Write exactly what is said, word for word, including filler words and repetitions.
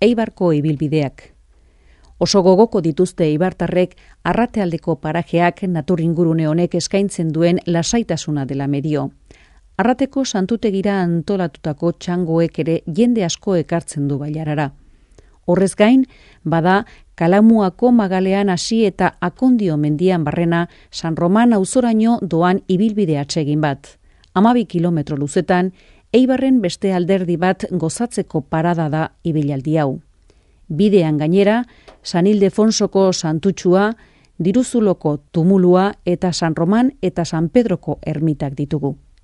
Eibarko ibilbideak. Oso gogoko dituzte eibartarrek Arratealdeko parajeak naturingurune honek eskaintzen duen lasaitasuna dela medio. Arrateko santutegira antolatutako txangoek ere jende asko ekartzen du bailarara. Horrez gain, bada Kalamuako magalean hasi eta Akondio mendian barrena San Roman auzoraino doan ibilbide atsegin bat. Hamabi kilometro luzetan, Eibarren beste alderdi bat gozatzeko parada da ibilaldi hau. Bidean gainera, San Ildefonsoko santutxua, Diruzuloko tumulua eta San Roman eta San Pedroko ermitak ditugu.